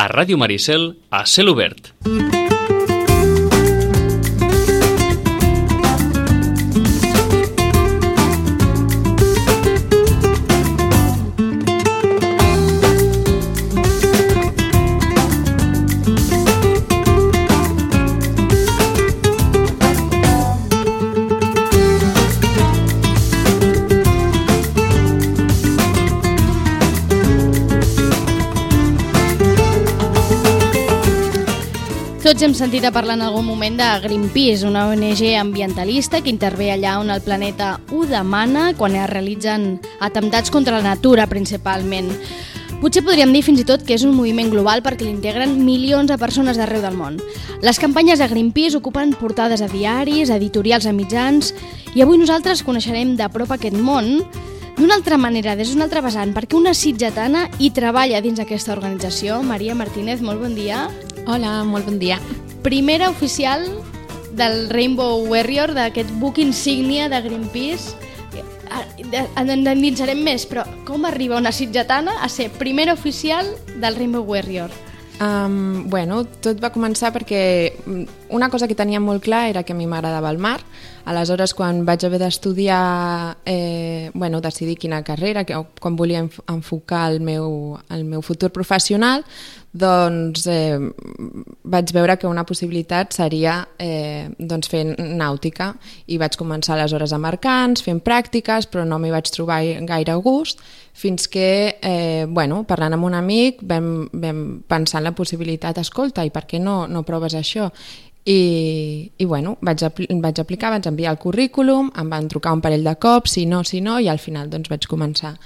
a Ràdio Maricel, a Cel Obert. Tots hem sentit a parlar en algun moment de Greenpeace, una ONG ambientalista que intervé allà on el planeta ho demana quan es realitzen atemptats contra la natura principalment. Potser podríem dir fins i tot que és un moviment global perquè l'integren milions de persones d'arreu del món. Les campanyes de Greenpeace ocupen portades a diaris, editorials a mitjans, i avui nosaltres coneixerem de prop aquest món d'una altra manera, des d'un altre vessant, perquè una sitgetana hi treballa dins aquesta organització. Maria Martínez, molt bon dia. Hola, molt bon dia. Primera oficial del Rainbow Warrior, d'aquest buc insígnia de Greenpeace. En endinsarem més, però com arriba una sitgetana a ser primera oficial del Rainbow Warrior? Bueno, tot va començar perquè una cosa que tenia molt clar era que a mi m'agradava el mar. Aleshores, quan vaig haver d'estudiar, decidir quina carrera, quan volia enfocar el meu futur professional, doncs vaig veure que una possibilitat seria fer nàutica, i vaig començar aleshores a Mercants, fent pràctiques, però no m'hi vaig trobar gaire a gust, fins que, parlant amb un amic, vam pensar en la possibilitat, escolta, i per què no proves això? I vaig aplicar, vaig enviar el currículum, em van trucar un parell de cops, si no, i al final doncs vaig començar.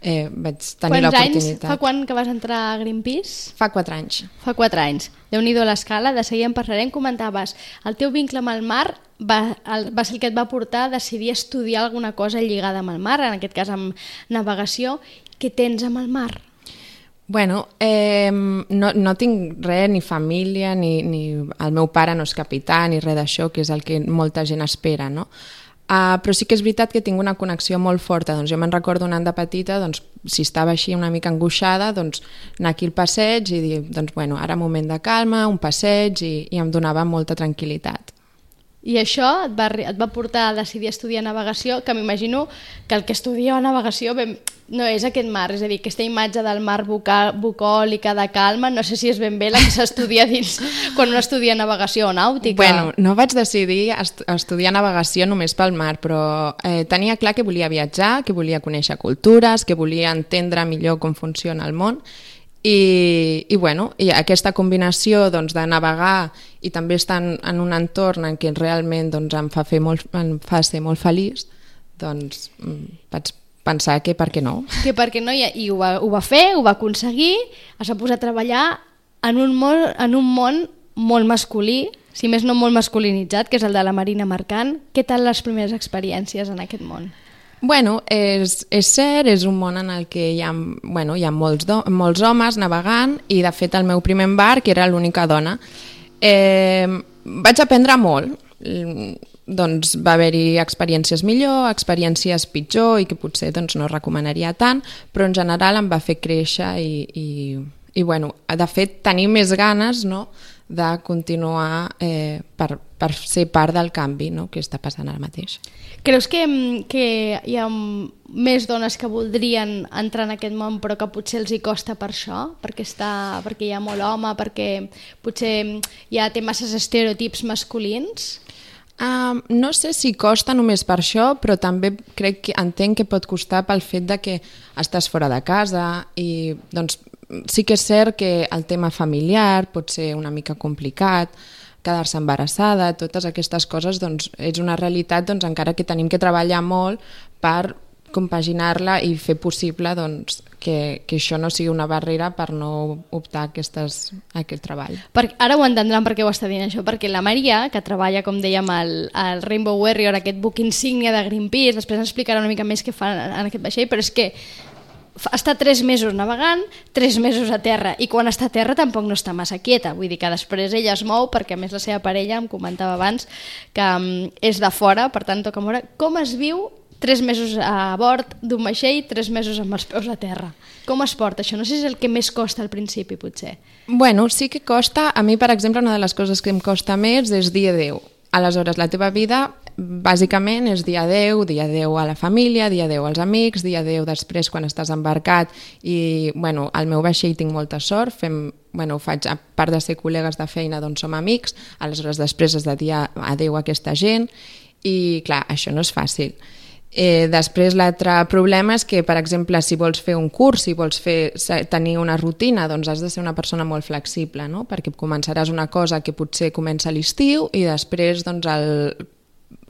Vaig tenir l'oportunitat. Fa quan que vas entrar a Greenpeace? Fa 4 anys. Fa 4 anys. Déu-n'hi-do l'escala, de seguir en parlarem. Comentaves, el teu vincle amb el mar va ser el que et va portar a decidir estudiar alguna cosa lligada amb el mar, en aquest cas amb navegació. Què tens amb el mar? Bueno, no tinc res, ni família, ni el meu pare no és capità, ni res d'això, que és el que molta gent espera, no? Però sí que és veritat que tinc una connexió molt forta. Doncs jo me'n recordo anant de petita, si estava així una mica angoixada, anar aquí al passeig i dir, ara moment de calma, un passeig, i em donava molta tranquil·litat. I això et va portar a decidir estudiar navegació, que m'imagino que el que estudia navegació no és aquest mar, és a dir, aquesta imatge del mar bucòlica, de calma, no sé si és ben bé la que s'estudia dins quan un estudia navegació o nàutica. Bueno, no vaig decidir estudiar navegació només pel mar, però tenia clar que volia viatjar, que volia conèixer cultures, que volia entendre millor com funciona el món, i aquesta combinació de navegar i també estar en un entorn en què realment em fa ser molt feliç, vaig pensar que per què no. Que per què no, i ho va fer, ho va aconseguir, es va posar a treballar en un món molt masculí, si més no molt masculinitzat, que és el de la marina mercant. Què tal les primeres experiències en aquest món? Bueno, és cert, és un món en el que hi ha molts homes navegant, i de fet el meu primer embarc era l'única dona. Vaig aprendre molt, va haver-hi experiències millor, experiències pitjor i que potser no recomanaria tant, però en general em va fer créixer i de fet tenir més ganes de continuar per ser part del canvi que està passant ara mateix. Creus que hi ha més dones que voldrien entrar en aquest món però que potser els hi costa per això? Perquè hi ha molt home, perquè potser té masses estereotips masculins? No sé si costa només per això, però també entenc que pot costar pel fet de que estàs fora de casa i sí que és cert que el tema familiar pot ser una mica complicat, quedar-se embarassada, totes aquestes coses és una realitat encara que tenim que treballar molt per compaginar-la i fer possible que això no sigui una barrera per no optar a aquest treball. Ara ho entendran per què ho està dient això, perquè la Maria, que treballa, com dèiem, al Rainbow Warrior, aquest buc insígnia de Greenpeace, després ens explicarà una mica més què fa en aquest vaixell, però és que està 3 mesos navegant, 3 mesos a terra, i quan està a terra tampoc no està massa quieta, vull dir que després ella es mou, perquè a més la seva parella em comentava abans que és de fora, per tant toca moure. Com es viu 3 mesos a bord d'un vaixell, 3 mesos amb els peus a terra. Com es porta això? No sé si és el que més costa al principi, potser. Bueno, sí que costa. A mi, per exemple, una de les coses que em costa més és dir adéu. Aleshores, la teva vida, bàsicament, és dir adéu a la família, dir adéu als amics, dir adéu després quan estàs embarcat. I, bueno, al meu vaixell tinc molta sort, ho faig, a part de ser col·legues de feina, doncs som amics, aleshores després has de dir adéu a aquesta gent, i clar, això no és fàcil. Després l'altre problema és que, per exemple, si vols fer un curs, si vols tenir una rutina, doncs has de ser una persona molt flexible, no? Perquè començaràs una cosa que potser comença a l'estiu i després doncs,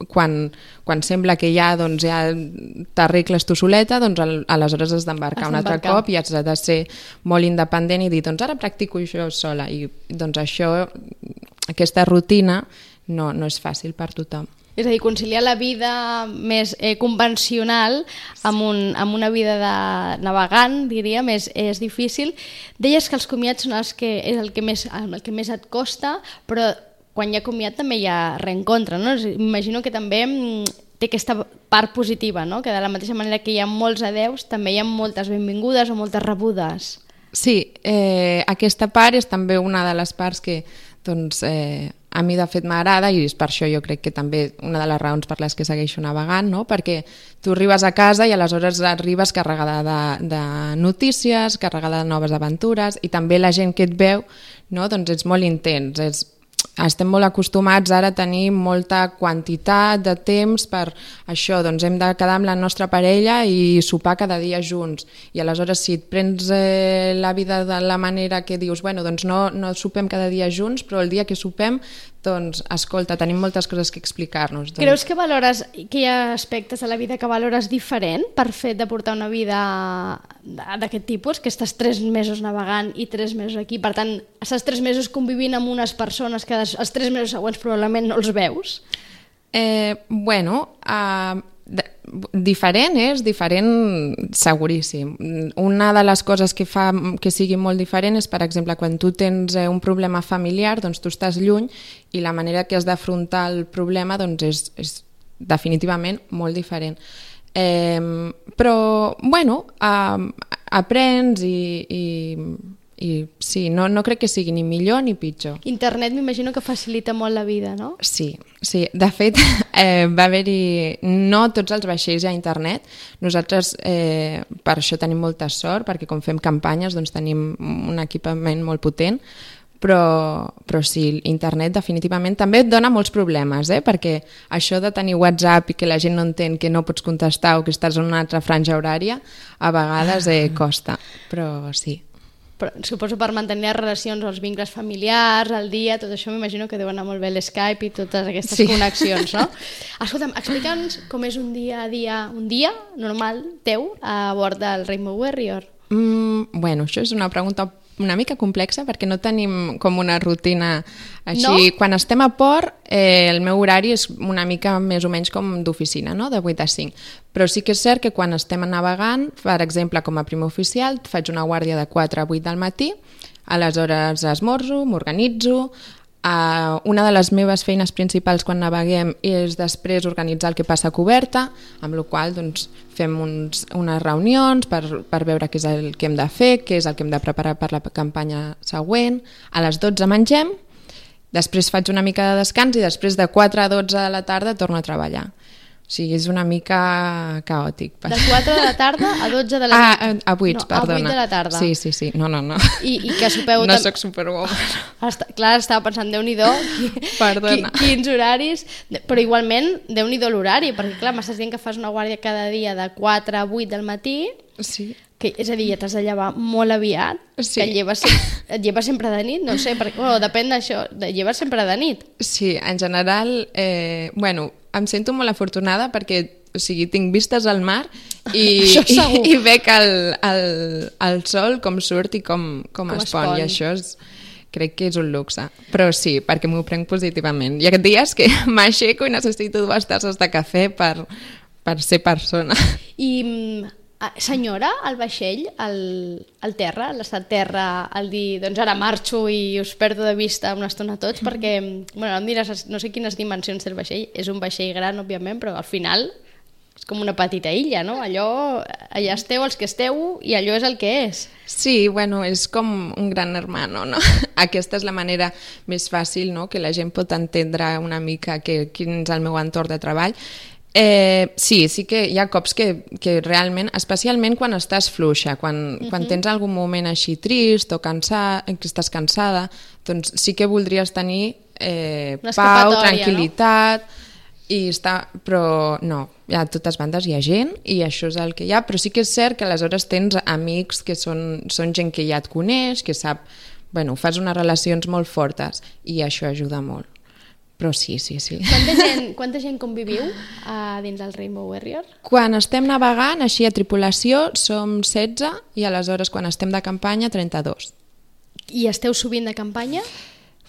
quan sembla que ja t'arregles tu soleta, doncs aleshores has d'embarcar un altre cop i has de ser molt independent i dir, doncs ara practico això sola, i doncs aquesta rutina no és fàcil per tothom. És a dir, conciliar la vida més convencional amb una vida de navegant, diríem, és difícil. Deies que els comiats són és el que més et costa, però quan hi ha comiat també hi ha reencontre, no? Imagino que també té aquesta part positiva, no? Que de la mateixa manera que hi ha molts adeus, també hi ha moltes benvingudes o moltes rebudes. Sí, aquesta part és també una de les parts que a mi de fet m'agrada, i és per això jo crec que també una de les raons per les que segueixo navegant, no? Perquè tu arribes a casa i aleshores arribes carregada de notícies, carregada de noves aventures, i també la gent que et veu, no? Doncs és molt intens, estem molt acostumats ara a tenir molta quantitat de temps per això, doncs hem de quedar amb la nostra parella i sopar cada dia junts, i aleshores si et prens la vida de la manera que dius, doncs no sopem cada dia junts, però el dia que sopem, doncs escolta, tenim moltes coses que explicar-nos. Creus que hi ha aspectes de la vida que valores diferent per fet de portar una vida d'aquest tipus, que estàs 3 mesos navegant i 3 mesos aquí, per tant, estàs 3 mesos convivint amb unes persones que els 3 mesos següents probablement no els veus? Diferent seguríssim. Una de les coses que fa que sigui molt diferent és, per exemple, quan tu tens un problema familiar, doncs tu estàs lluny i la manera que has d'afrontar el problema doncs és definitivament molt diferent. Però, aprens i sí, no crec que sigui ni millor ni pitjor. Internet m'imagino que facilita molt la vida, no? Sí. De fet, va haver-hi no tots els vaixells a internet. Nosaltres per això tenim molta sort, perquè com fem campanyes doncs tenim un equipament molt potent, però sí, internet definitivament també et dona molts problemes, perquè això de tenir WhatsApp i que la gent no entén, que no pots contestar o que estàs en una altra franja horària, a vegades costa, però sí. Però suposo per mantenir les relacions, els vincles familiars, el dia, tot això m'imagino que deu anar molt bé l'Skype i totes aquestes connexions, no? Escolta'm, explica'ns com és un dia normal teu a bord del Rainbow Warrior. Això és una pregunta una mica complexa perquè no tenim com una rutina així. No? Quan estem a port, el meu horari és una mica més o menys com d'oficina, no? De 8 a 5. Però sí que és cert que quan estem navegant, per exemple, com a primer oficial, faig una guàrdia de 4 a 8 del matí, aleshores esmorzo, m'organitzo. Una de les meves feines principals quan naveguem és després organitzar el que passa a coberta, amb la qual cosa fem unes reunions per veure què és el que hem de fer, què és el que hem de preparar per la campanya següent. A les 12 mengem, després faig una mica de descans i després de 4 a 12 de la tarda torno a treballar. O sigui, és una mica caòtic. De 4 de la tarda a 12 de la nit? A 8, perdona. A 8 de la tarda. Sí. No. I que sopeu... No soc superwoman. Clar, estava pensant, Déu-n'hi-do, quins horaris... Però igualment, Déu-n'hi-do l'horari, perquè clar, m'estàs dient que fas una guàrdia cada dia de 4 a 8 del matí... Sí. És a dir, ja t'has de llevar molt aviat, sí. Que et lleves sempre de nit, no sé, depèn d'això, lleves sempre de nit. Sí, en general, em sento molt afortunada perquè, o sigui, tinc vistes al mar i veig el sol com surt i com es pon, i això crec que és un luxe. Però sí, perquè m'ho prenc positivament. Hi ha dies que m'aixeco i necessito 2 tasses de cafè per ser persona. I... Senyora, el vaixell, al terra, l'estat terra, al dir, doncs ara marxo i us perdo de vista una estona tots, perquè, em diràs, no sé quines dimensions té el vaixell, és un vaixell gran, òbviament, però al final és com una petita illa, no? Allà esteu els que esteu i allò és el que és. Sí, bueno, és com un gran hermano, no? Aquesta és la manera més fàcil, no?, que la gent pot entendre una mica quin és el meu entorn de treball. Sí que hi ha cops que realment, especialment quan estàs fluixa, quan tens algun moment així trist o que estàs cansada, doncs sí que voldries tenir pau, tranquil·litat, no? Però no, a totes bandes hi ha gent i això és el que hi ha, però sí que és cert que aleshores tens amics que són gent que ja et coneix, que sap, bueno, fas unes relacions molt fortes i això ajuda molt. Però sí. Quanta gent conviviu dins del Rainbow Warrior? Quan estem navegant, així a tripulació, som 16 i aleshores quan estem de campanya, 32. I esteu sovint de campanya?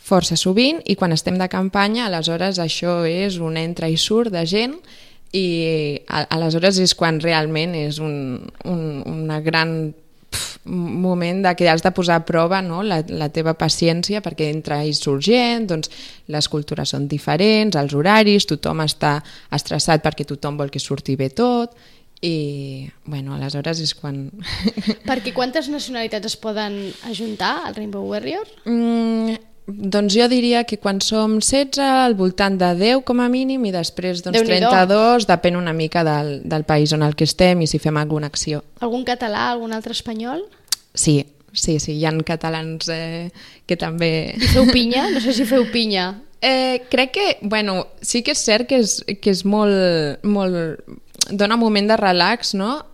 Força sovint, i quan estem de campanya, aleshores això és un entra i surt de gent i aleshores és quan realment és una gran moment que has de posar a prova, no?, la teva paciència, perquè entra i surt gent, doncs les cultures són diferents, els horaris, tothom està estressat perquè tothom vol que surti bé tot i, bueno, aleshores és quan... Perquè quantes nacionalitats es poden ajuntar al Rainbow Warrior? Doncs jo diria que quan som 16 al voltant de 10 com a mínim i després 32, depèn una mica del país on el que estem i si fem alguna acció. Algun català, algun altre espanyol? Sí, hi ha catalans que també... I feu pinya? No sé si feu pinya. Crec que, bueno, sí que és cert que és molt dona un moment de relax, no?,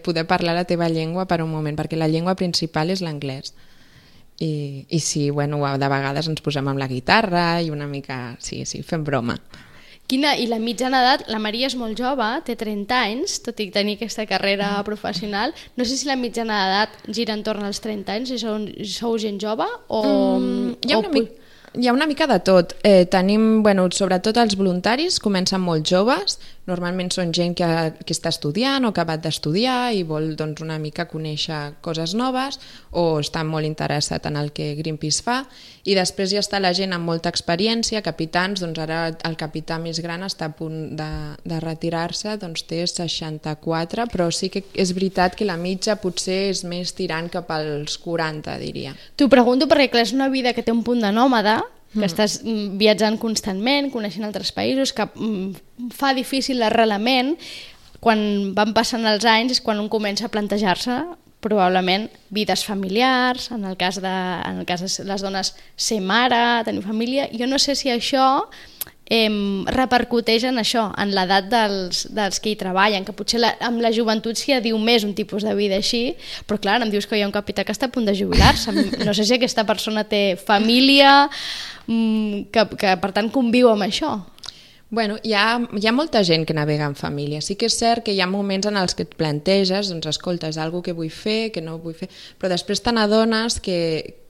poder parlar la teva llengua per un moment, perquè la llengua principal és l'anglès. I sí, bueno, de vegades ens posem amb la guitarra i una mica, sí, fem broma. I la mitjana edat, la Maria és molt jove, té 30 anys, tot i tenir aquesta carrera professional. No sé si la mitjana d'edat gira entorn als 30 anys, si sou gent jove o... Hi ha una mica de tot. Tenim, bueno, sobretot els voluntaris, comencen molt joves, normalment són gent que està estudiant o que ha acabat d'estudiar i vol, doncs, una mica conèixer coses noves o està molt interessat en el que Greenpeace fa, i després ja està la gent amb molta experiència, capitans, doncs ara el capità més gran està a punt de retirar-se, doncs té 64, però sí que és veritat que la mitja potser és més tirant cap als 40, diria. T'ho pregunto perquè, clar, és una vida que té un punt de nòmada, que estàs viatjant constantment, coneixent altres països, que fa difícil l'arrelament. Quan van passant els anys és quan un comença a plantejar-se probablement vides familiars, en el cas de les dones ser mare, tenir família. Jo no sé si això repercuteix en això, en l'edat dels que hi treballen, que potser amb la joventut s'hi diu més un tipus de vida així, però clar, em dius que hi ha un capità que està a punt de jubilar-se. No sé si aquesta persona té família, que per tant conviu amb això. Bueno, hi ha molta gent que navega en família. Sí que és cert que hi ha moments en els que et planteges, doncs escolta, és alguna que vull fer, que no vull fer, però després te n'adones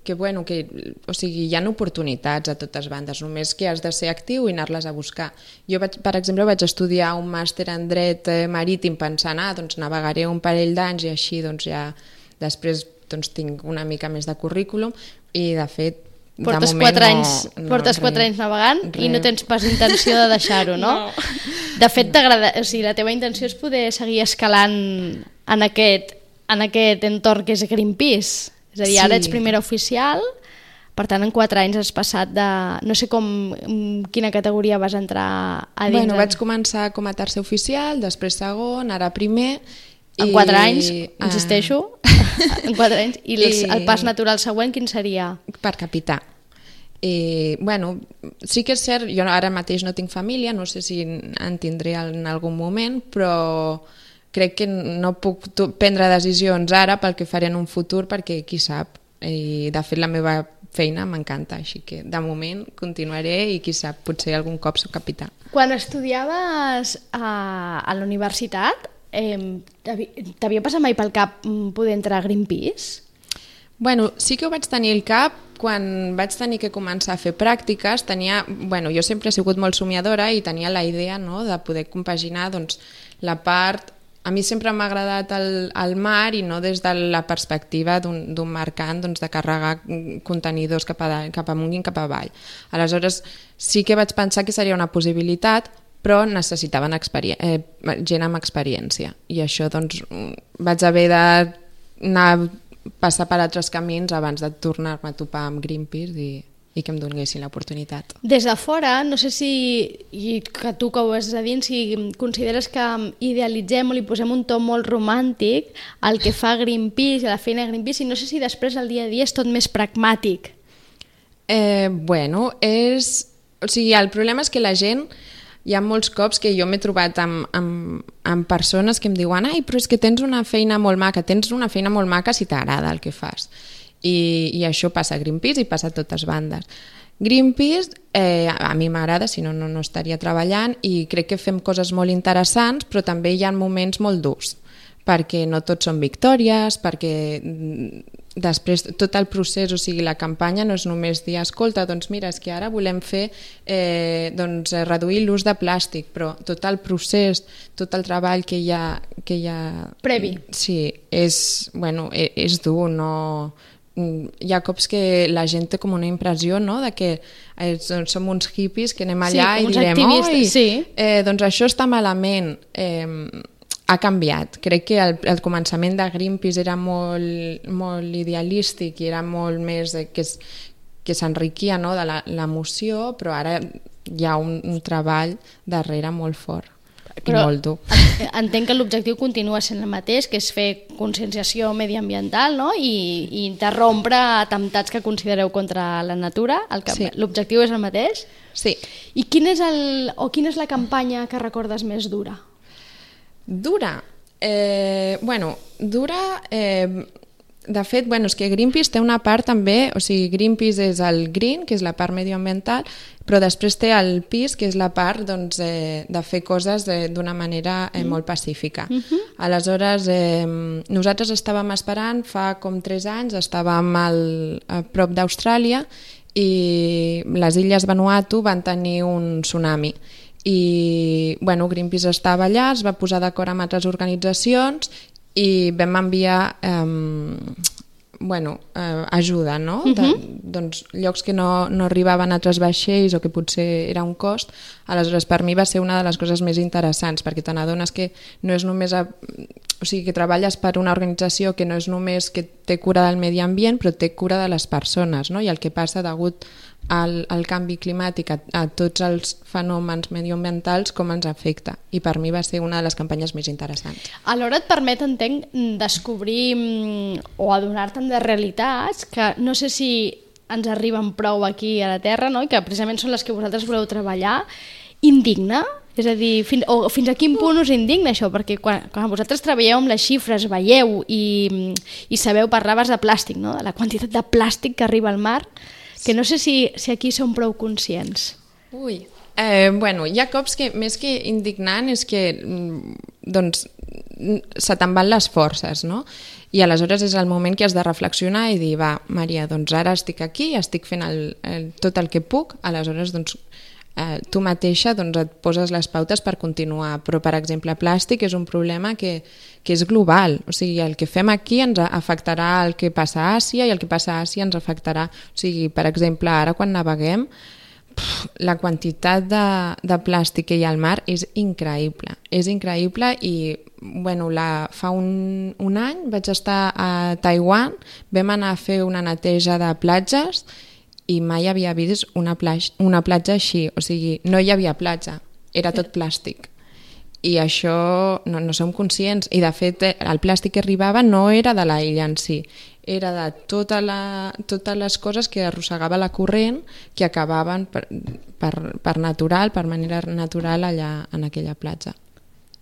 o sigui, hi ha oportunitats a totes bandes, només que has de ser actiu i anar-les a buscar. Jo, per exemple, vaig estudiar un màster en dret marítim pensant, doncs navegaré un parell d'anys i així doncs ja després doncs, tinc una mica més de currículum i de fet Portes 4 anys navegant i no tens pas intenció de deixar-ho, no? De fet, o sigui, la teva intenció és poder seguir escalant en aquest entorn que és Greenpeace. És a dir, ara ets primera oficial, per tant, en 4 anys has passat de... No sé quina categoria vas entrar a dins. Bueno, vaig començar com a tercer oficial, després segon, ara primer... En 4 anys, insisteixo, en 4 anys. I el pas natural següent, quin seria? Per capità. Bueno, sí que és cert, jo ara mateix no tinc família, no sé si en tindré en algun moment, però crec que no puc prendre decisions ara pel que faré en un futur, perquè qui sap. I de fet la meva feina m'encanta, així que de moment continuaré i qui sap, potser algun cop soc capità. Quan estudiaves a la universitat, t'havia passat mai pel cap poder entrar a Greenpeace? Bueno, sí que ho vaig tenir al cap quan vaig tenir que començar a fer pràctiques. Jo sempre he sigut molt somiadora i tenia la idea, no, de poder compaginar doncs, la part... A mi sempre m'ha agradat el mar i no des de la perspectiva d'un mercant doncs, de carregar contenidors cap amunt i cap avall. Aleshores sí que vaig pensar que seria una possibilitat, però necessitaven gent amb experiència. I això doncs, vaig haver d'anar passar per altres camins abans de tornar-me a topar amb Greenpeace i que em donessin l'oportunitat. Des de fora, no sé si, i que tu que ho has de dir, si consideres que idealitzem o li posem un to molt romàntic al que fa Greenpeace, a la feina de Greenpeace, i no sé si després el dia a dia és tot més pragmàtic. Bueno, o sigui, el problema és que la gent, hi ha molts cops que jo m'he trobat amb persones que em diuen però és que tens una feina molt maca si t'agrada el que fas. I això passa a Greenpeace i passa a totes bandes. Greenpeace a mi m'agrada, si no, no estaria treballant, i crec que fem coses molt interessants, però també hi ha moments molt durs, perquè no tots són victòries, perquè després tot el procés, o sigui, la campanya no és només dir, escolta, doncs mira, és que ara volem fer reduir l'ús de plàstic, però tot el procés, tot el treball que hi ha previ. Sí, és dur, no... Hi ha cops que la gent té com una impressió, no?, de que som uns hippies que anem allà i direm doncs això està malament. Ha canviat. Crec que el començament de Greenpeace era molt idealístic i era molt més que s'enriquia, no?, de l'emoció, però ara hi ha un treball darrere molt fort. Però molt dur. Entenc que l'objectiu continua sent el mateix, que és fer conscienciació mediambiental, no?, i interrompre atemptats que considereu contra la natura. L'objectiu és el mateix? Sí. I quina és la campanya que recordes més dura? Dura? Dura... De fet, és que Greenpeace té una part també, o sigui, Greenpeace és el green, que és la part medioambiental, però després té el peace, que és la part de fer coses d'una manera molt pacífica. Aleshores, nosaltres estàvem esperant, fa com 3 anys, estàvem a prop d'Austràlia i les illes Vanuatu van tenir un tsunami. I Greenpeace estava allà, es va posar d'acord amb altres organitzacions i vam enviar ajuda, no? Doncs llocs que no arribaven a altres vaixells o que potser era un cost. Aleshores, per mi va ser una de les coses més interessants, perquè te n'adones que no és només o sigui, que treballes per una organització que no és només que té cura del medi ambient, però té cura de les persones, no? I el que passa degut al canvi climàtic, a tots els fenòmens medioambientals, com ens afecta. I per mi va ser una de les campanyes més interessants. Alhora et permet, entenc, descobrir o adonar-te'n de realitats que no sé si ens arriben prou aquí a la Terra, no?, i que precisament són les que vosaltres voleu treballar. Indigna? És a dir, fins a quin punt us indigna això? Perquè quan vosaltres treballeu amb les xifres, veieu i sabeu, parlaves de plàstic, no?, de la quantitat de plàstic que arriba al mar, que no sé si aquí som prou conscients. Hi ha cops que més que indignant és que se te'n van les forces, no? I aleshores és el moment que has de reflexionar i dir, va, Maria, doncs ara estic aquí, estic fent tot el que puc, aleshores tu mateixa et poses les pautes per continuar. Però, per exemple, plàstic és un problema que és global. O sigui, el que fem aquí ens afectarà el que passa a Àsia i el que passa a Àsia ens afectarà. O sigui, per exemple, ara quan naveguem, la quantitat de plàstic que hi ha al mar és increïble. És increïble i fa un any vaig estar a Taiwan, vam anar a fer una neteja de platges i mai havia vist una platja així. O sigui, no hi havia platja, era tot plàstic. I això no som conscients. I de fet, el plàstic que arribava no era de la illa en si, era de totes les coses que arrossegava la corrent que acabaven per manera natural allà en aquella platja.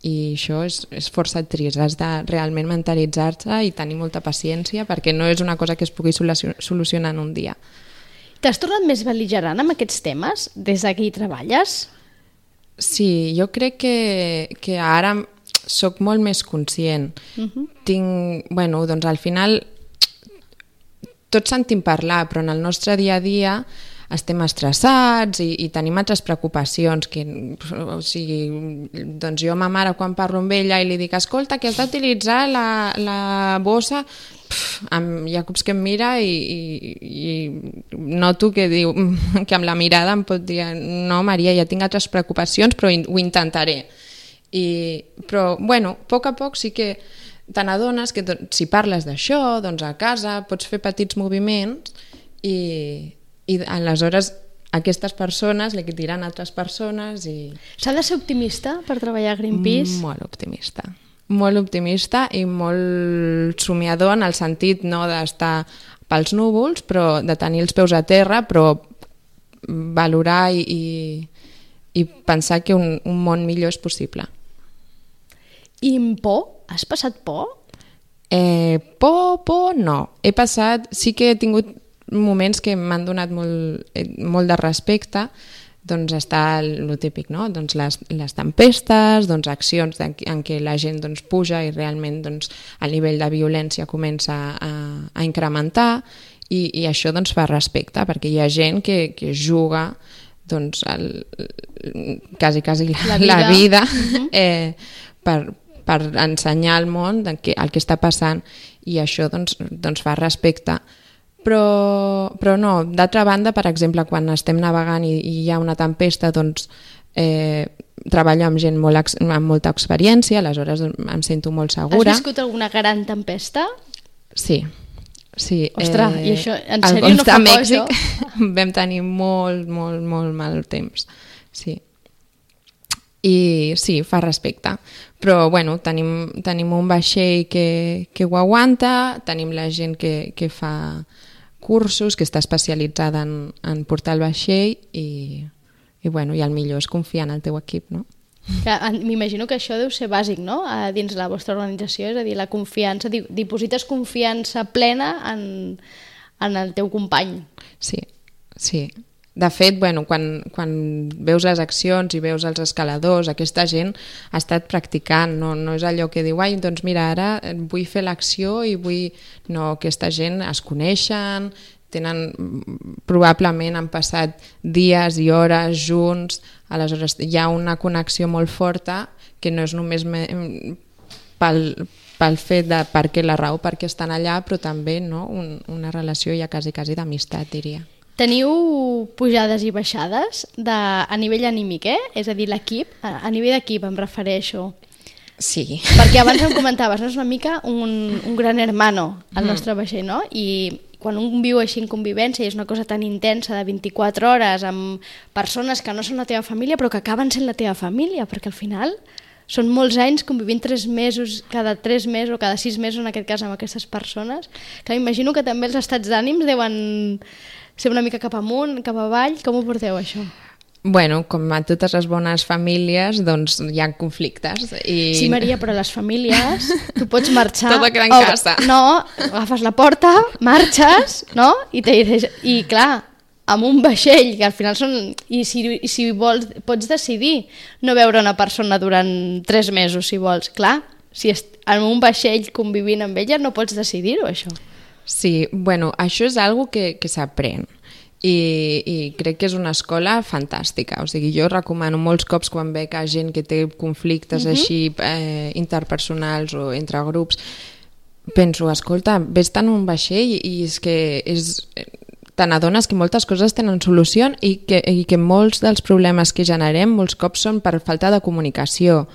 I això és força trist, has de realment mentalitzar-te i tenir molta paciència perquè no és una cosa que es pugui solucionar en un dia. T'has tornat més bel·ligerant amb aquests temes des que hi treballes? Sí, jo crec que ara sóc molt més conscient. Al final tots sentim parlar, però en el nostre dia a dia estem estressats i tenim altres preocupacions, o sigui, doncs jo a ma mare quan parlo amb ella i li dic, escolta, que has d'utilitzar la bossa, hi ha cops que em mira i noto que diu que amb la mirada em pot dir, no Maria, ja tinc altres preocupacions, però ho intentaré. Però, bueno, a poc sí que te n'adones que si parles d'això, doncs a casa pots fer petits moviments i aleshores aquestes persones li diran a altres persones i... S'ha de ser optimista per treballar a Greenpeace? Molt optimista i molt somiador en el sentit no d'estar pels núvols, però de tenir els peus a terra, però valorar i pensar que un món millor és possible. I amb por? Has passat por? Por no. Sí que he tingut moments que m'han donat molt de respecte, doncs està el típic, no? Doncs les tempestes, doncs accions en què la gent doncs, puja i realment doncs, el nivell de violència comença a incrementar i això doncs, fa respecte, perquè hi ha gent que juga doncs, quasi la vida per ensenyar al món el que està passant i això doncs fa respecte. Però no, d'altra banda, per exemple, quan estem navegant i hi ha una tempesta, doncs treballo amb gent amb molta experiència, aleshores em sento molt segura. Has viscut alguna gran tempesta? Sí. Ostres, i això en sèrio no fa por, això? Vam tenir molt mal temps, sí. I sí, fa respecte, però bueno, tenim un vaixell que ho aguanta, tenim la gent que fa cursos, que està especialitzada en portar el vaixell i el millor és confiar en el teu equip, no? M'imagino que això deu ser bàsic, no?, dins la vostra organització, és a dir, la confiança, diposites confiança plena en el teu company. Sí. De fet, quan veus les accions i veus els escaladors, aquesta gent ha estat practicant, no és allò que diu, doncs mira, ara vull fer l'acció i vull... No, aquesta gent es coneixen, probablement han passat dies i hores junts, aleshores hi ha una connexió molt forta que no és només pel fet de la raó per què estan allà, però també una relació ja quasi d'amistat, diria. Teniu pujades i baixades a nivell anímic, És a dir, l'equip, a nivell d'equip em refereixo. Sí. Perquè abans em comentaves, no? És una mica un gran hermano al nostre vaixell, no? I quan un viu així en convivència i és una cosa tan intensa de 24 hores amb persones que no són la teva família però que acaben sent la teva família, perquè al final són molts anys convivint 3 mesos, cada 3 mesos o cada 6 mesos en aquest cas amb aquestes persones, que m'imagino que també els estats d'ànims deuen ser una mica cap amunt, cap avall. Com ho porteu, això? Bueno, com a totes les bones famílies, doncs hi ha conflictes. Sí, Maria, però les famílies, tu pots marxar... Tot queda en casa. No, agafes la porta, marxes, no? I clar, amb un vaixell, que al final són... I si vols, pots decidir no veure una persona durant 3 mesos, si vols. Clar, si en un vaixell convivint amb ella no pots decidir-ho, això. Sí, bueno, això és algo que s'aprèn i crec que és una escola fantàstica. O sigui, jo recomano molts cops quan veig gent que té conflictes així interpersonals o entre grups, penso, escolta, vés-te en un vaixell i és que te n'adones que moltes coses tenen solució i que molts dels problemes que generem molts cops són per falta de comunicació,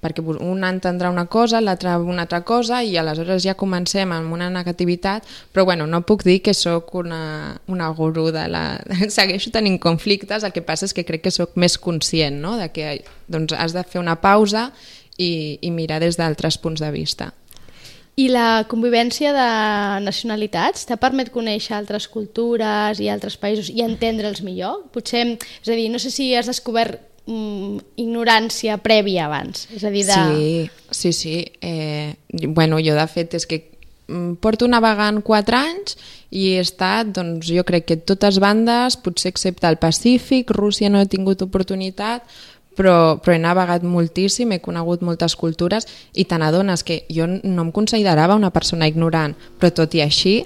perquè un entendrà una cosa, l'altre una altra cosa i aleshores ja comencem amb una negativitat, però bueno, no puc dir que sóc una gurú segueixo tenint conflictes, el que passa és que crec que sóc més conscient, no?, de que doncs, has de fer una pausa i mirar des d'altres punts de vista. I la convivència de nacionalitats t'ha permet conèixer altres cultures i altres països i entendre'ls millor? Potser, és a dir, no sé si has descobert ignorància prèvia abans, és a dir, Sí. Bueno, jo de fet és que porto navegant 4 anys i he estat, doncs jo crec que totes bandes, potser excepte el Pacífic, Rússia no he tingut oportunitat, però he navegat moltíssim, he conegut moltes cultures i te n'adones que jo no em considerava una persona ignorant, però tot i així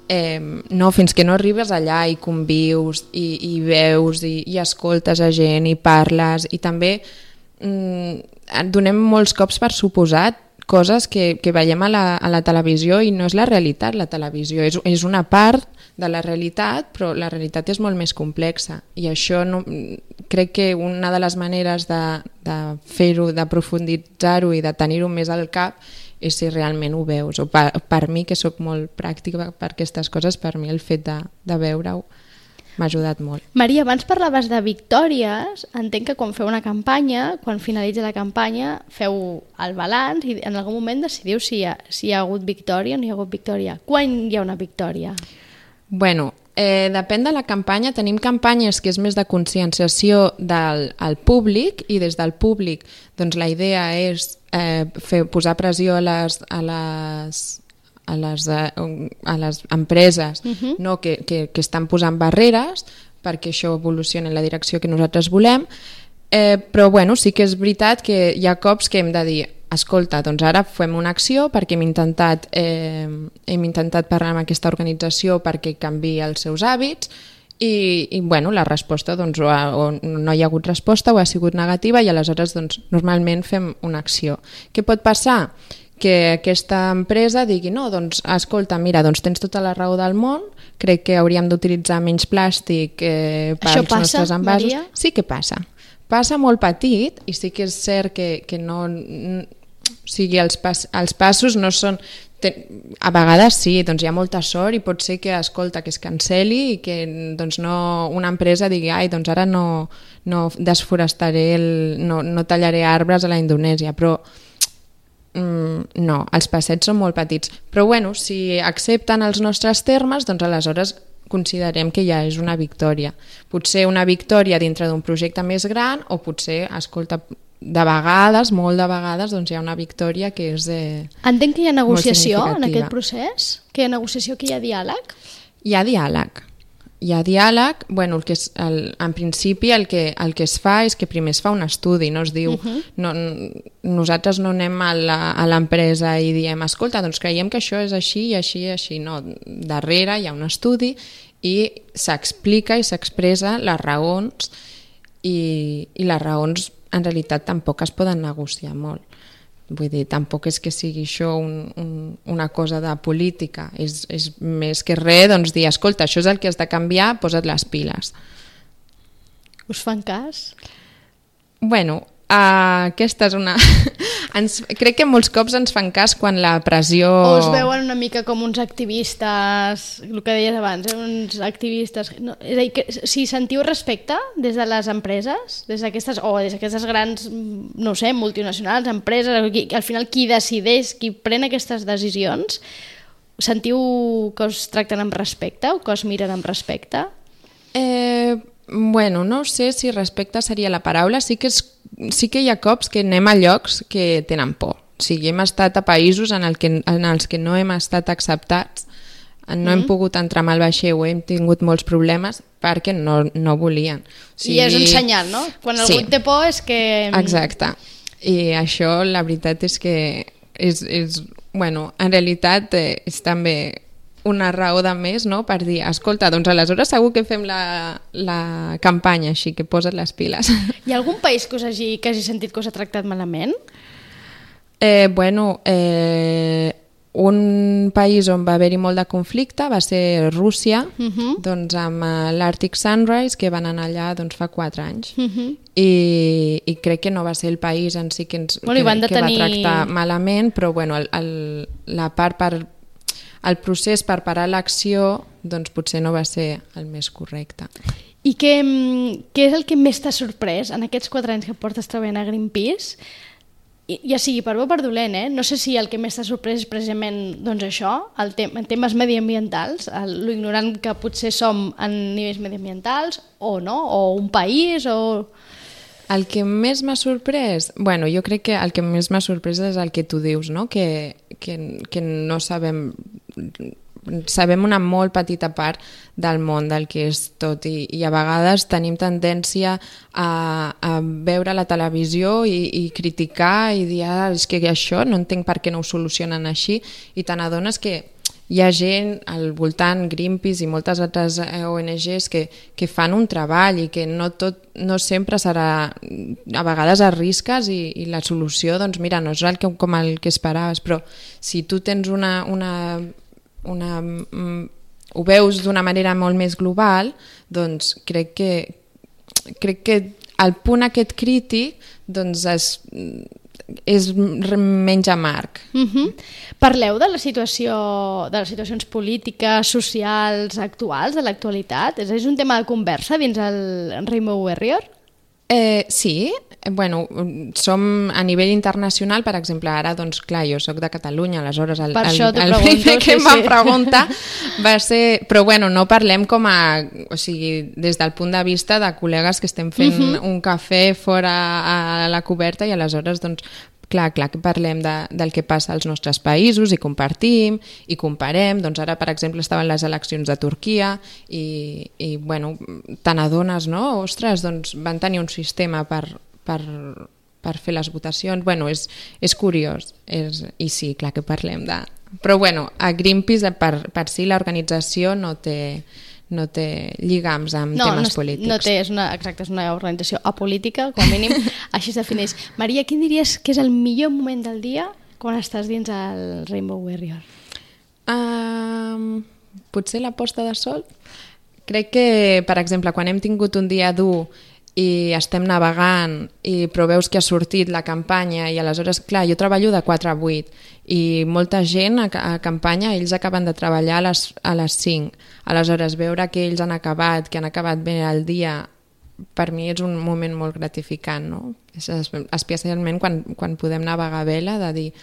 no, fins que no arribes allà i convius i veus i escoltes a gent i parles i també donem molts cops per suposat coses que veiem a la televisió i no és la realitat. La televisió és una part de la realitat, però la realitat és molt més complexa i això crec que una de les maneres de fer-ho, de profunditzar-ho i de tenir-ho més al cap és si realment ho veus. O per mi, que sóc molt pràctica per aquestes coses, per mi el fet de veure-ho m'ha ajudat molt. Maria, abans parlaves de victòries. Entenc que quan feu una campanya, quan finalitza la campanya, feu el balanç i en algun moment decidiu si hi ha hagut victòria o no hi ha hagut victòria. Quan hi ha una victòria? Bueno, depèn de la campanya. Tenim campanyes que és més de conscienciació al públic i des del públic doncs la idea és posar pressió a les empreses no, que estan posant barreres perquè això evolucioni en la direcció que nosaltres volem, però bueno, sí que és veritat que hi ha cops que hem de dir escolta, doncs ara fem una acció perquè hem intentat parlar amb aquesta organització perquè canviï els seus hàbits i bueno, la resposta doncs, o no hi ha hagut resposta o ha sigut negativa i aleshores doncs, normalment fem una acció. Què pot passar? Que aquesta empresa digui no, doncs escolta, mira, doncs tens tota la raó del món, crec que hauríem d'utilitzar menys plàstic per als nostres envasos. Maria? Sí que passa. Passa molt petit i sí que és cert que no... O sigui, els passos no són... A vegades sí, doncs hi ha molta sort i pot ser que, escolta, que es canceli i que doncs no, una empresa digui ai, doncs ara no desforestaré, no tallaré arbres a la Indonèsia, però no, els passets són molt petits. Però bueno, si accepten els nostres termes, doncs aleshores considerem que ja és una victòria. Potser una victòria dintre d'un projecte més gran o potser, escolta, de vegades, molt de vegades, doncs hi ha una victòria que és Entenc que hi ha negociació en aquest procés? Que hi ha negociació, que hi ha diàleg? Hi ha diàleg. Hi ha diàleg, bueno, en principi el que es fa és que primer es fa un estudi, no es diu, nosaltres no anem a l'empresa i diem, escolta, doncs creiem que això és així i així i així, no, darrere hi ha un estudi i s'explica i s'expressa les raons i les raons en realitat tampoc es poden negociar molt. Vull dir, tampoc és que sigui això una cosa de política, és més que res doncs, dir, escolta, això és el que has de canviar, posa't les piles. Us fan cas? Bueno, aquesta és una... Crec que molts cops ens fan cas quan la pressió... O us veuen una mica com uns activistes, el que deies abans, uns activistes... No, és a dir, que, si sentiu respecte des de les empreses, des d'aquestes grans, no sé, multinacionals, empreses, al final qui decideix, qui pren aquestes decisions, sentiu que us tracten amb respecte o que us miren amb respecte? Bueno, no sé si respecte seria la paraula, sí que hi ha cops que anem a llocs que tenen por. O sigui, hem estat a països en els que no hem estat acceptats, no hem pogut entrar amb el vaixell, hem tingut molts problemes perquè no volien. O sigui, i és un senyal, no? Quan algú té por és que... Exacte. I això, la veritat és que bueno, en realitat és també una raó de més, no?, per dir, escolta, doncs aleshores segur que fem la campanya així, que posa't les piles. Hi ha algun país que hagi sentit que us ha tractat malament? Bueno, un país on va haver-hi molt de conflicte va ser Rússia, doncs amb l'Arctic Sunrise, que van anar allà doncs, fa 4 anys. I crec que no va ser el país en si que va tractar malament, però bueno, la part el procés per parar l'acció doncs potser no va ser el més correcte. I què és el que més t'ha sorprès en aquests 4 anys que portes treballant a Greenpeace? Ja sigui per bo o per dolent, no sé si el que més t'ha sorprès és precisament doncs això, en temes mediambientals, lo ignorant que potser som en nivells mediambientals o no, o un país o... El que més m'ha sorprès? Bueno, jo crec que el que més m'ha sorprès és el que tu dius, no? Que no sabem una molt petita part del món del que és tot i a vegades tenim tendència a veure la televisió i criticar i dir és que això no entenc per què no ho solucionen així i te n'adones que hi ha gent al voltant, Greenpeace i moltes altres ONGs que fan un treball i que no sempre serà, a vegades arrisques i la solució, doncs mira, no és com el que esperaves, però si tu tens ho veus d'una manera molt més global, doncs crec que el punt aquest crític doncs és menys amarg. Parleu de les situacions polítiques, socials, actuals, de l'actualitat? És un tema de conversa dins el Rainbow Warrior? Sí, bueno, som a nivell internacional, per exemple, ara, doncs clar, jo sóc de Catalunya, aleshores el primer que em van preguntar va ser... Però bueno, no parlem com a... O sigui, des del punt de vista de col·legues que estem fent un cafè fora a la coberta i aleshores, doncs, clar que parlem del que passa als nostres països i compartim i comparem. Doncs ara, per exemple, estaven les eleccions de Turquia i bueno, te n'adones, no? Ostres, doncs van tenir un sistema per fer les votacions. Bueno, és curiós. I sí, clar que parlem de... Però bueno, a Greenpeace per si l'organització no té lligams amb temes polítics. No té, és una organització apolítica, com a mínim, així es defineix. Maria, quin diries que és el millor moment del dia quan estàs dins el Rainbow Warrior? Potser la posta de sol. Crec que, per exemple, quan hem tingut un dia dur i estem navegant però veus que ha sortit la campanya i aleshores, clar, jo treballo de 4 a 8 i molta gent a campanya, ells acaben de treballar a les 5, aleshores veure que ells han acabat, que han acabat bé el dia, per mi és un moment molt gratificant, no? Especialment quan podem navegar a vela, de dir,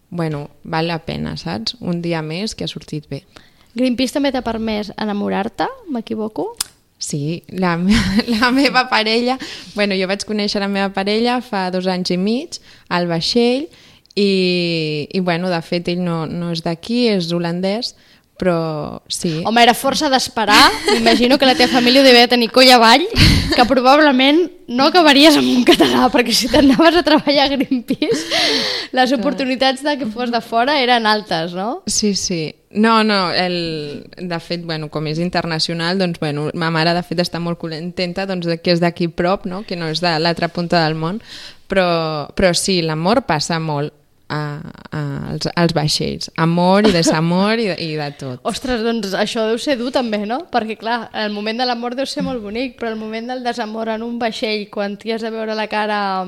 bueno, val la pena, saps? Un dia més que ha sortit bé. Greenpeace també t'ha permès enamorar-te, m'equivoco? Sí, la meva parella, bueno, jo vaig conèixer la meva parella fa 2 anys i mig al vaixell i bueno, de fet ell no és d'aquí, és holandès, però sí. Home, era força d'esperar, m'imagino que la teva família devia tenir coll avall, que probablement no acabaries amb un català, perquè si t'anaves a treballar a Greenpeace, les oportunitats de que fos de fora eren altes, no? Sí. No, de fet, bueno, com és internacional, doncs, bueno, ma mare de fet està molt contenta doncs, que és d'aquí prop, no? Que no és de l'altra punta del món, però sí, l'amor passa molt als vaixells. Amor i desamor i de tot. Ostres, doncs això deu ser dur també, no? Perquè clar, el moment de l'amor deu ser molt bonic, però el moment del desamor en un vaixell, quan t'hi has de veure la cara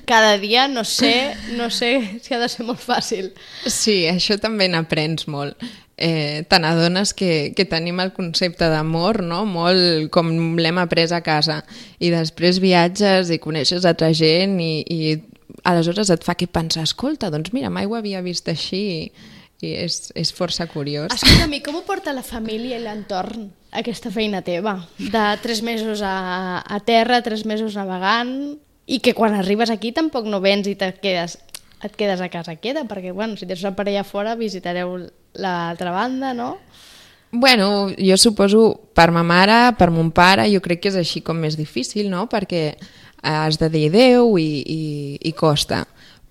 cada dia, no sé si ha de ser molt fàcil. Sí, això també n'aprens molt. Te n'adones que tenim el concepte d'amor, no? Molt com l'hem après a casa, i després viatges i coneixes altra gent i aleshores et fa que pensar, escolta, doncs mira, mai ho havia vist així i és força curiós. Escolta'm, com ho porta la família i l'entorn, aquesta feina teva? De 3 mesos a terra, 3 mesos navegant, i que quan arribes aquí tampoc no vens i et quedes a casa queda, perquè bueno, si tens una parella fora visitareu l'altra banda, no? Bueno, jo suposo per ma mare, per mon pare, jo crec que és així com més difícil, no? Perquè has de dir adeu i costa.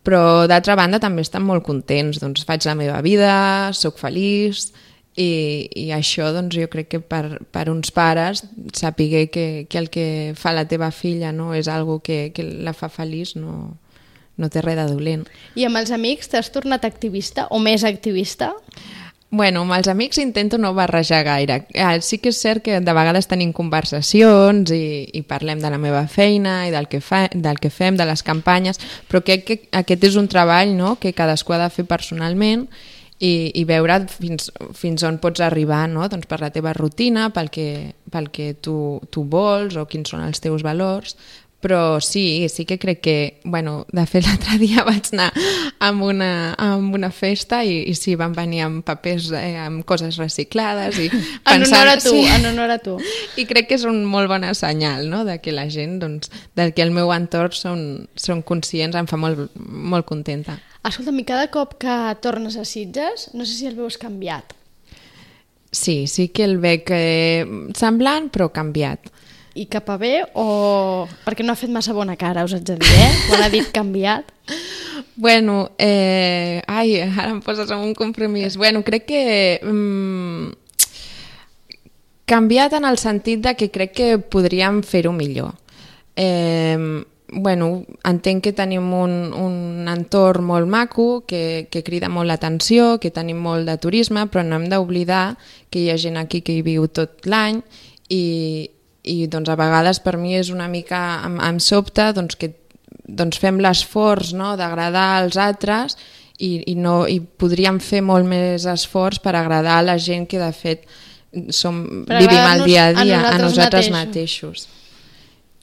Però d'altra banda també estan molt contents, doncs faig la meva vida, sóc feliç i això doncs jo crec que per uns pares saber que el que fa la teva filla no és algo que la fa feliç no té res de dolent. I amb els amics t'has tornat activista o més activista? Bueno, amb els amics intento no barrejar gaire. Sí que és cert que de vegades tenim conversacions i parlem de la meva feina i del que fem, de les campanyes, però crec que aquest és un treball, no?, que cadascú ha de fer personalment i veure fins on pots arribar, no?, doncs per la teva rutina, pel que tu vols o quins són els teus valors. Però sí que crec que, bueno, de fet l'altre dia vaig anar amb una festa i sí, van venir amb papers, amb coses reciclades i pensant... En honor a tu. I crec que és un molt bon senyal, no?, de que la gent, doncs, del que el meu entorn són conscients, em fa molt, molt contenta. Escolta'm, i cada cop que tornes a Sitges, no sé si el veus canviat. Sí que el veig semblant, però canviat. I cap a bé o... Perquè no ha fet massa bona cara, us haig de dir, quan ha dit canviat. Bueno, ara em poses en un compromís. Bueno, crec que canviat en el sentit de que crec que podríem fer-ho millor. Bueno, entenc que tenim un entorn molt maco, que crida molt l'atenció, que tenim molt de turisme, però no hem d'oblidar que hi ha gent aquí que hi viu tot l'any i doncs a vegades per mi és una mica em sobta doncs, que doncs fem l'esforç, no?, d'agradar als altres i podríem fer molt més esforç per agradar a la gent que de fet vivim el dia a dia a nosaltres mateixos.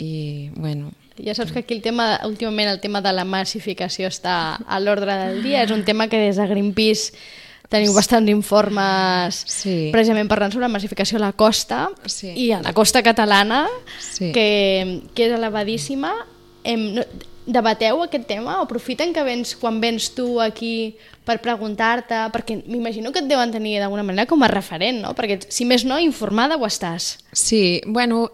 I bueno... Ja saps que aquí últimament el tema de la massificació està a l'ordre del dia. És un tema que des de Greenpeace teniu bastants informes precisament parlant sobre la massificació a la costa i a la costa catalana, que és elevadíssima. Debateu aquest tema? Aprofiten que quan vens tu aquí per preguntar-te, perquè m'imagino que et deuen tenir d'alguna manera com a referent, no? Perquè si més no, informada ho estàs. Sí, bueno,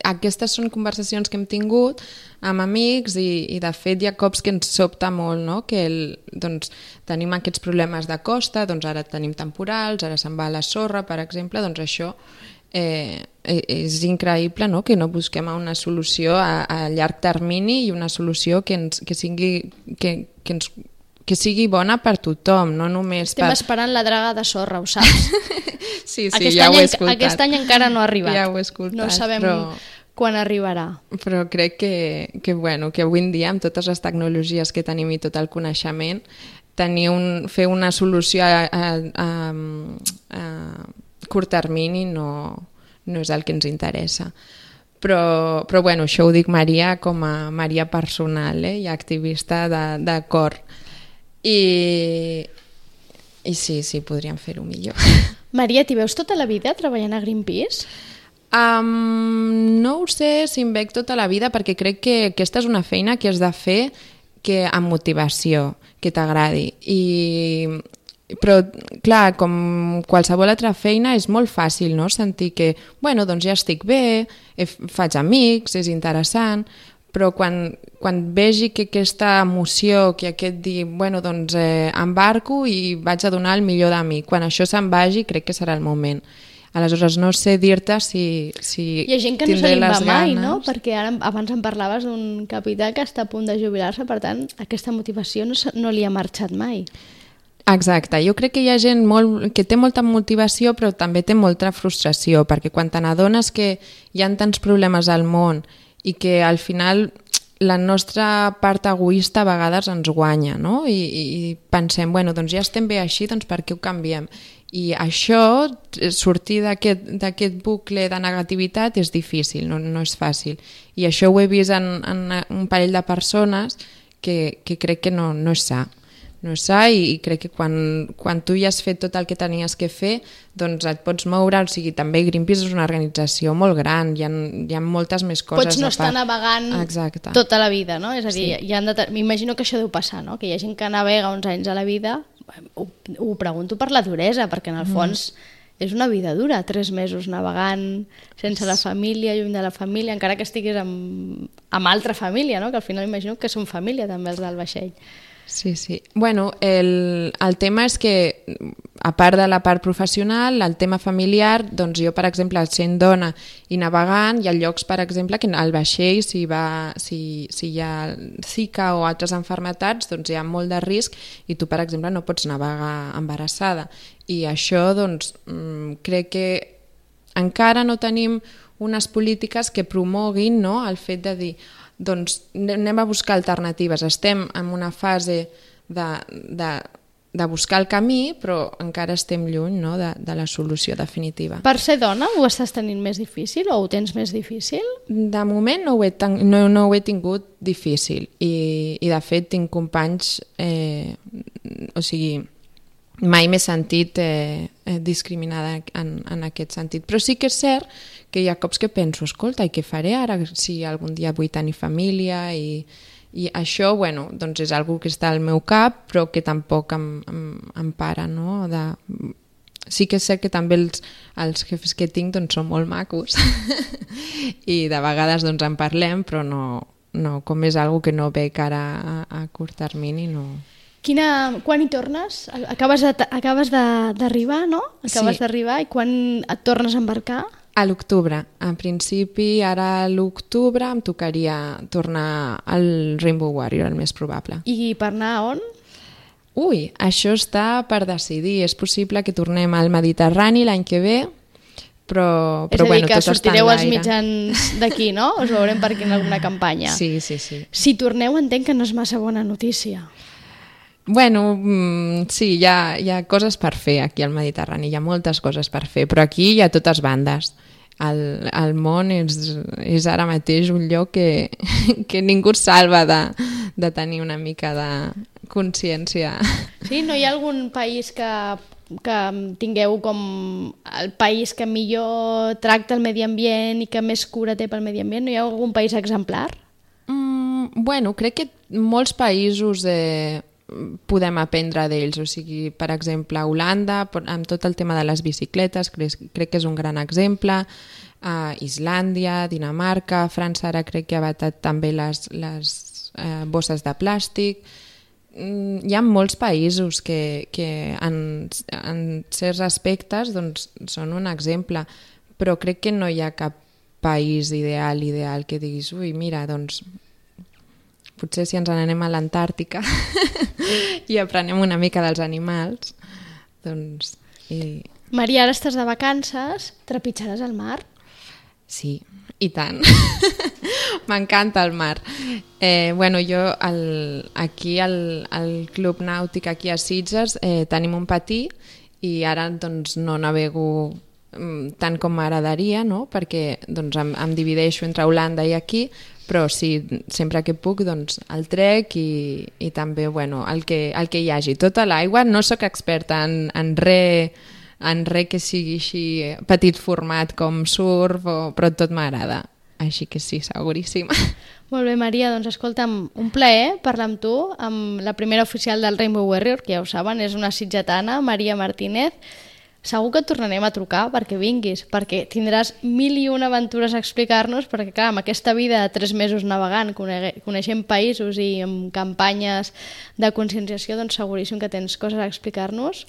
aquestes són conversacions que hem tingut amb amics i de fet hi ha cops que ens sobta molt, no? Que doncs, tenim aquests problemes de costa, doncs ara tenim temporals, ara se'n va a la sorra, per exemple, doncs això és increïble, no?, que no busquem una solució a llarg termini i una solució que sigui bona per tothom, no només Estem esperant la draga de sorra, ho saps? Sí, ja ho he escoltat. Aquest any encara no ha arribat. Ja ho he escoltat. No sabem quan arribarà. Però crec que avui en dia, amb totes les tecnologies que tenim i tot el coneixement, fer una solució a curt termini no és el que ens interessa. Però bueno, això ho dic Maria com a Maria personal i activista de cor. I sí, podríem fer-ho millor. Maria, t'hi veus tota la vida treballant a Greenpeace? No ho sé si em veig tota la vida, perquè crec que aquesta és una feina que has de fer amb motivació, que t'agradi. Però, clar, com qualsevol altra feina és molt fàcil, no?, sentir que, bueno, doncs ja estic bé, faig amics, és interessant, però quan vegi que aquesta emoció, que aquest dir, bueno, doncs embarco i vaig a donar el millor de mi, quan això se'n vagi crec que serà el moment. Aleshores no sé dir-te si hi ha gent que no se li va mai, no? Perquè abans em parlaves d'un capità que està a punt de jubilar-se, per tant aquesta motivació no li ha marxat mai. Exacte, jo crec que hi ha gent que té molta motivació però també té molta frustració, perquè quan te n'adones que hi ha tants problemes al món i que al final la nostra part egoista a vegades ens guanya, no? I pensem, bueno, doncs ja estem bé així, doncs per què ho canviem? I això, sortir d'aquest bucle de negativitat és difícil, no és fàcil. I això ho he vist en un parell de persones que crec que no és sa. No és sa i crec que quan tu ja has fet tot el que tenies que fer, doncs et pots moure, o sigui, també Greenpeace és una organització molt gran, hi ha moltes més coses. Pots no estar navegant tota la vida, no? És a dir, m'imagino que això deu passar, no? Que hi ha gent que navega uns anys a la vida, ho pregunto per la duresa, perquè en el fons és una vida dura, 3 mesos navegant sense la família, lluny de la família, encara que estiguis amb altra família, no? Que al final imagino que són família també els del vaixell. Sí. Bueno, el tema és que, a part de la part professional, el tema familiar, doncs jo, per exemple, sent dona i navegant, hi ha llocs, per exemple, que al vaixell, si hi ha Zika o altres malalties, doncs hi ha molt de risc i tu, per exemple, no pots navegar embarassada. I això, doncs, crec que encara no tenim unes polítiques que promoguin, no?, el fet de dir doncs anem a buscar alternatives. Estem en una fase de buscar el camí, però encara estem lluny, no?, de la solució definitiva. Per ser dona ho estàs tenint més difícil o ho tens més difícil? De moment no ho he tingut difícil i de fet tinc companys, o sigui, mai m'he sentit discriminada en aquest sentit, però sí que és cert que hi ha cops que penso, escolta, i què faré ara si algun dia vull tenir família i això, bueno, doncs és algo que està al meu cap però que tampoc em para, no? Sí que és cert que també els jefes que tinc doncs són molt macos i de vegades doncs en parlem però no com és algo que no veig ara a curt termini, no. Quan hi tornes? Acabes d'arribar, no? Acabes d'arribar, i quan et tornes a embarcar? A l'octubre. En principi, ara a l'octubre em tocaria tornar al Rainbow Warrior, el més probable. I per anar on? Ui, això està per decidir. És possible que tornem al Mediterrani l'any que ve, però és a dir, bueno, que tot està en sortireu als l'aire. mitjans d'aquí, no? Us veurem per aquí en alguna campanya. Sí. Si torneu, entenc que no és massa bona notícia. Bueno, sí, hi ha coses per fer aquí al Mediterrani, hi ha moltes coses per fer, però aquí hi ha totes bandes. El món és ara mateix un lloc que ningú es salva de tenir una mica de consciència. Sí? No hi ha algun país que tingueu com el país que millor tracta el medi ambient i que més cura té pel medi ambient? No hi ha algun país exemplar? Bueno, crec que molts països podem aprendre d'ells, o sigui, per exemple, Holanda, amb tot el tema de les bicicletes, crec que és un gran exemple, Islàndia, Dinamarca, França ara crec que ha vetat també les bosses de plàstic. Hi ha molts països que en certs aspectes doncs, són un exemple, però crec que no hi ha cap país ideal que diguis, ui, mira, doncs potser si ens n'anem a l'Antàrtica i aprenem una mica dels animals, doncs... Maria, ara estàs de vacances, trepitjaràs el mar? Sí, i tant. M'encanta el mar. Bueno, jo aquí al Club Nàutic, aquí a Sitges, tenim un patí i ara doncs, no navego tant com m'agradaria, no? Perquè doncs, em divideixo entre Holanda i aquí, però sí, sempre que puc doncs, el trec i també bueno, el que hi hagi. Tota l'aigua, no sóc experta en res que sigui així petit format com surf, però tot m'agrada. Així que sí, seguríssima. Molt bé, Maria, doncs escolta'm, un plaer parlar amb tu, amb la primera oficial del Rainbow Warrior, que ja ho saben, és una sitgetana, Maria Martínez. Segur que et tornarem a trucar perquè vinguis, perquè tindràs 1001 aventures a explicar-nos, perquè clar, amb aquesta vida de 3 mesos navegant, coneixent països i amb campanyes de conscienciació, doncs seguríssim que tens coses a explicar-nos.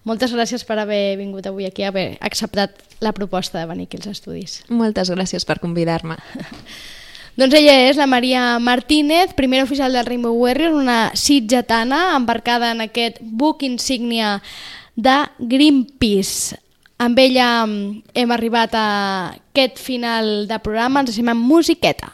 Moltes gràcies per haver vingut avui aquí, haver acceptat la proposta de venir aquí als estudis. Moltes gràcies per convidar-me. Doncs ella és la Maria Martínez, primera oficial del Rainbow Warrior, una sitgetana embarcada en aquest buc insígnia de Greenpeace. Amb ella hem arribat a aquest final de programa, ens deixem amb musiqueta.